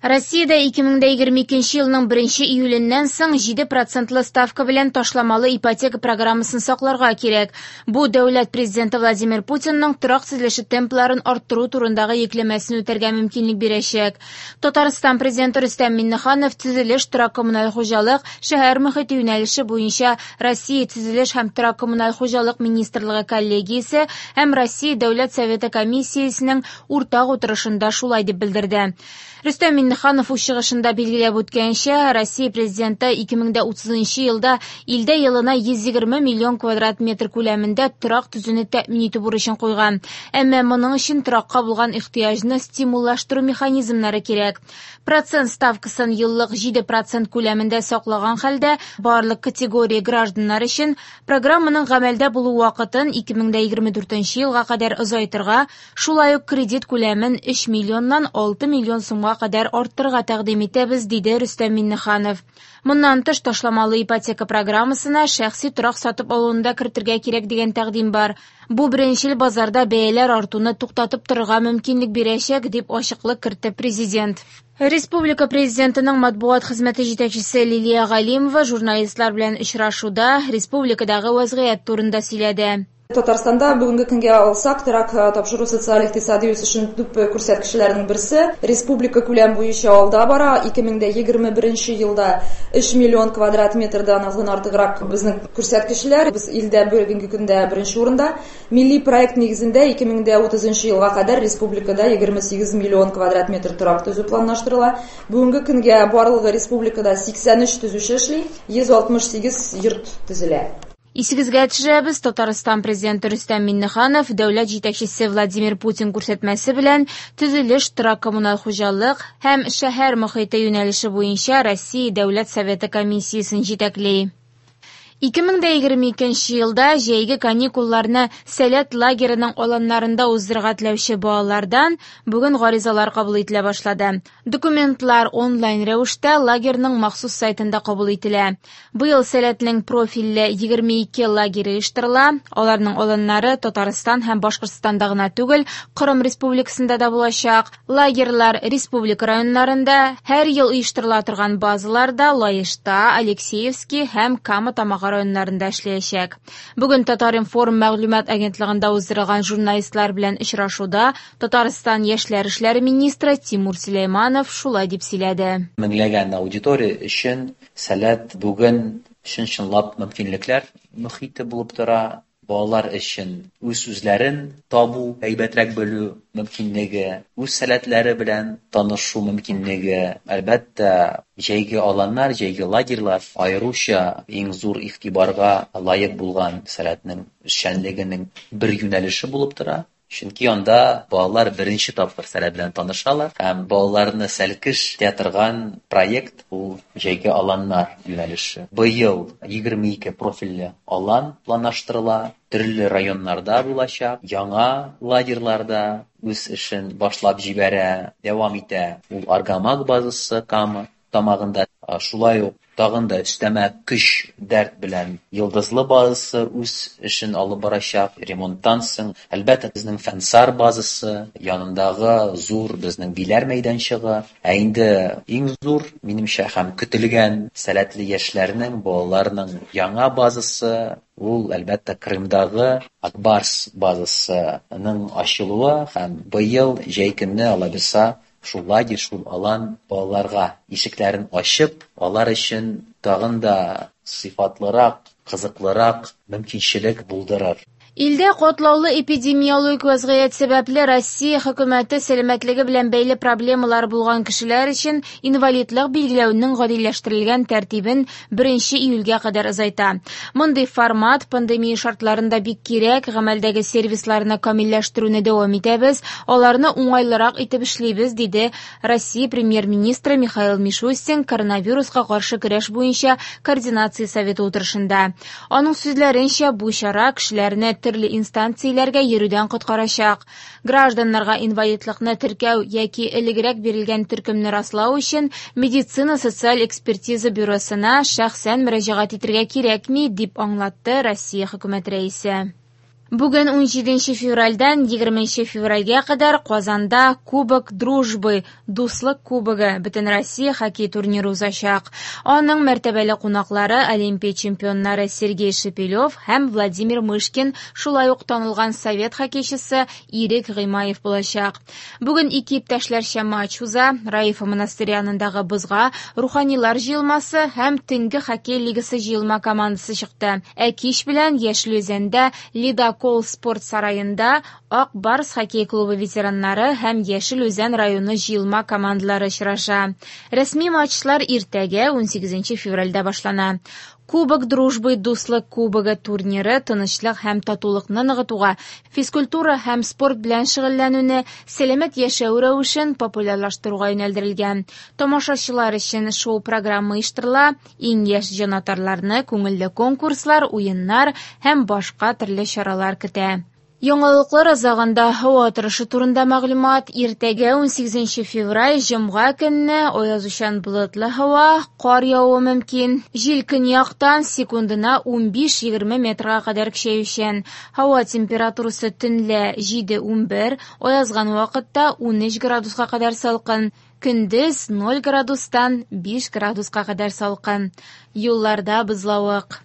Россиядә 2022 елның 1 июленнән соң 7 процентлы ставка белән ташламалы ипотека программасын сакларга кирәк. Бу дәүләт президенты Владимир Путинның торак төзелеше темпларын арттыру турындагы йөкләмәсен үтәргә мөмкинлек бирәчәк. Татарстан президенты Рөстәм Миңнеханов төзелеш, торак-коммуналь хуҗалык, шәһәр мохите юнәлеше буенча Россия төзелеш һәм торак-коммуналь хуҗалык министрлыгы коллегиясе һәм Россия Дәүләт Советы комиссиясенең уртак утырышында шулай дип белдерде. Рөстәм Миңнеханов үз чыгышында билгеләп үткәнчә, Россия президенты 2030 елда илдә елына 120 миллион квадрат метр күләмендә торак төзүне тәэмин итү бурычын куйган. Әмма моның өчен торакка булган ихтыяҗны стимуллаштыру механизмнары кирәк. Процент ставкасын еллык 7% күләмендә саклаган хәлдә барлык категория гражданнар өчен программаның гамәлдә булу вакытын 2024 елга кадәр озайтырга, шулай ук кредит күләмен 3 миллионнан 6 миллион сумга кадәр арттырырга тәкъдим итәбез, диде Рөстәм Миңнеханов. Моннан тыш ташламалы ипотека программасына шәхси торак сатып алуны да кертергә кирәк дигән тәкъдим бар. Бу беренчел базарда бәяләр артуны туктатып торырга мөмкинлек бирәчәк, дип ачыклык кертте президент. Республика президентының матбугат хезмәте җитәкчесе Лилия Галимова журналистлар белән очрашуда республикадагы вазгыять турында сөйләде. Татарстанда бүгенге көнгә алсак, торак тапшыру социаль икътисади үсешенең төп күрсәткечләренең берсе. Республика күләм буенча алда бара. 2021 елда 3 миллион квадрат метрдан аздан артыграк безнең күрсәткечләр. Без илдә бүгенге көндә беренче урында. Милли проект нигезендә 2030 елга кадәр республикада 28 миллион квадрат метр торак төзү планлаштырыла. Бүгенге көнгә барлыгы республикада 83 төзүче эшли, 168 йорт төзелә. Исегезгә төшерәбез, Татарстан президенты Рөстәм Миңнеханов дәүләт җитәкчесе Владимир Путин күрсәтмәсе белән төзелеш, торак-коммуналь хуҗалык һәм шәһәр мохите юнәлеше буенча Россия Дәүләт Советы комиссиясен җитәкли. 2022 елда җәйге каникулларны Сәләт лагереның аланнарында уздырырга теләүче балалардан бүген гаризалар кабул ителә башлады. Документлар онлайн рәвештә лагерьның махсус сайтында кабул ителә. Быел Сәләтнең профильле 22 лагере оештырыла. Аларның аланнары Татарстан һәм Башкортстанда гына түгел, Кырым Республикасында да булачак. Лагерьлар республика районнарында һәр ел оештырыла торган базаларда Лаешта, Алексеевский һәм Кама Тамагы районнарында эшләячәк. Бүген Татар-информ мәгълүмат агентлыгында уздырылган журналистлар белән очрашуда Татарстан яшьләр эшләре министры Тимур Сөләйманов шулай дип сөйләде. Меңләгән аудитория өчен Сәләт бүген чын-чынлап мөмкинлекләр мохите булып тора. Балалар өчен үз-үзләрен табу, әйбәтрәк белү мөмкинлеге, үз сәләтләре белән танышу мөмкинлеге, әлбәттә, җәйге аланнар, җәйге лагерьлар аеруча иң зур игътибарга лаек булган Сәләтнең эшчәнлегенең бер юнәлеше булып тора. Чөнки анда балалар беренче тапкыр Сәләт белән танышалар һәм балаларны сәлкеш итә торган проект ул җәйге аланнар юнәлеше. Быел 22 профильле алан планлаштырыла, төрле районнарда булачак, яңа лагерьларда үз эшен башлап җибәрә, дәвам итә. Ул Аргамак базасы Кама тамагында, шулай ук тагын да өстәмә көч, дәрт белән Йолдызлы базасы үз эшен алып барачак. Ремонттан соң, әлбәттә, безнең Фәнсар базасы янындагы зур безнең Биләр мәйданчыгы, ә инде иң зур, минемчә, һәм көтелгән сәләтле яшьләрнең, балаларның яңа базасы, ул, әлбәттә, Крымдагы Акбарс базасының ачылуы һәм быел җәй көне, алабирса, шул лагерь, шул алан балаларга ишекләрен ачып, алар өчен тагын да сыйфатлырак, кызыклырак мөмкинчелек булдырыр. Илдә катлаулы эпидемиологик вазгыять сәбәпле Россия хөкүмәте сәламәтлеге белән бәйле проблемалар булган кешеләр өчен инвалидлык билгеләүнең гадиләштерелгән тәртибен 1 июльгә кадәр озайта. Мондый формат пандемия шартларында бик кирәк, гамәлдәге сервисларны камилләштерүне дәвам итәбез, аларны уңайлырак итеп эшлибез, диде Россия премьер-министры Михаил Мишустин коронавируска каршы көрәш буенча координация советы утырышында. Аның сүзләренчә, бу чара кешеләрне төрле инстанцияләргә йөрүдән коткарачак. Гражданнарга инвалидлыкны теркәү яки элегрәк бирелгән төркемне раслау өчен медицина социаль экспертиза бюросына шәхсән мөрәҗәгать итәргә кирәкми, дип аңлатты Россия хөкүмәт рәисе. Бүген 17 февральдән 20 февральгә кадәр Казанда Кубок Дружбы Дуслык кубогы Бөтенроссия хоккей турниры узачак. Аның мәртәбәле кунаклары Олимпия чемпионнары Сергей Шепелев һәм Владимир Мышкин, шулай ук танылган совет хоккейчысы Ирек Гыймаев булачак. Бүген ике иптәшләрчә матч уза. Раифа монастыре янындагы бозга Руханилар җыелмасы һәм Төнге хоккей лигасы җыелма командасы чыкты. Ә кич белән Яшел Үзәндә Ледокол спорт сараенда Ак Барс хоккей клубы ветераннары һәм Яшел Үзән районы җыелма командалары очраша. Рәсми матчлар иртәгә 18 февральдә башлана. Кубок Дружбы Дуслык кубогы турниры тынычлык һәм татулыкны ныгытуга, физкультура һәм спорт белән шөгыльләнүне, сәламәт яшәү рәвешен популярлаштыруга юнәлдерелгән. Тамашачылар өчен шоу-программа оештырыла, иң яшь җанатарларны күңелле конкурслар, уеннар һәм башка төрле чаралар көтә. Яңалыклар азагында һава торышы турында мәгълүмат. Иртәгә 18 февраль җомга көнне аязучан болытлы һава, кар явуы мөмкин. Җил көньяктан секундына 15-20 метрга кадәр көчәючән. Һава температурасы төнлә 7-11, аязган вакытта 13 градуска кадәр салкын. Көндез 0 градустан 5 градуска кадәр салкын. Юлларда бозлавык.